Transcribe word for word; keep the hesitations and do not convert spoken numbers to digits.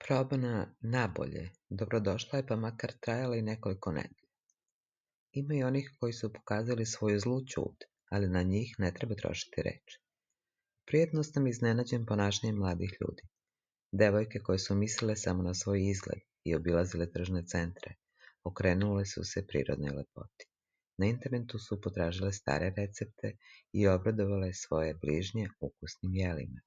Probana nabolje dobrodošla je pa makar trajala i nekoliko nedelja. Ima i onih koji su pokazali svoju zlu ćud, ali na njih ne treba trošiti reči. Prijetno sam iznenađen ponašanjem mladih ljudi. Devojke koje su mislile samo na svoj izgled i obilazile tržne centre, okrenule su se prirodnoj lepoti. Na internetu su potražile stare recepte i obradovale svoje bližnje ukusnim jelima.